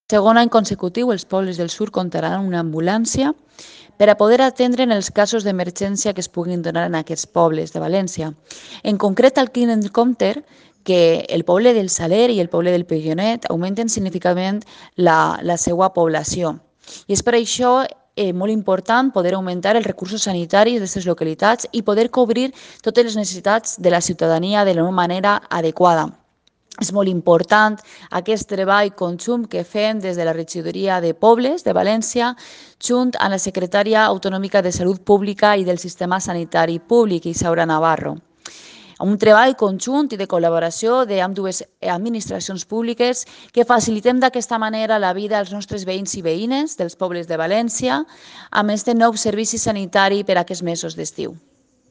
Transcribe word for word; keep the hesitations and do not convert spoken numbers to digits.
Segon any consecutiu, els pobles del sud comptaran amb una ambulància per a poder atendre en els casos d'emergència que es puguin donar en aquests pobles de València. En concret, al tinc en compte que el poble del Saler i el poble del Pillonet augmenten significativament la, la seva població. I és per això eh, molt important poder augmentar els recursos sanitaris d'aquestes localitats i poder cobrir totes les necessitats de la ciutadania de la manera adequada. És molt important aquest treball conjunt que fem des de la regidoria de Pobles de València junt amb la secretària autonòmica de Salut Pública i del Sistema Sanitari Públic, Isaura Navarro. Un treball conjunt i de col·laboració d'ambdues administracions públiques que facilitem d'aquesta manera la vida als nostres veïns i veïnes dels pobles de València amb aquest nou servici sanitari per a aquests mesos d'estiu.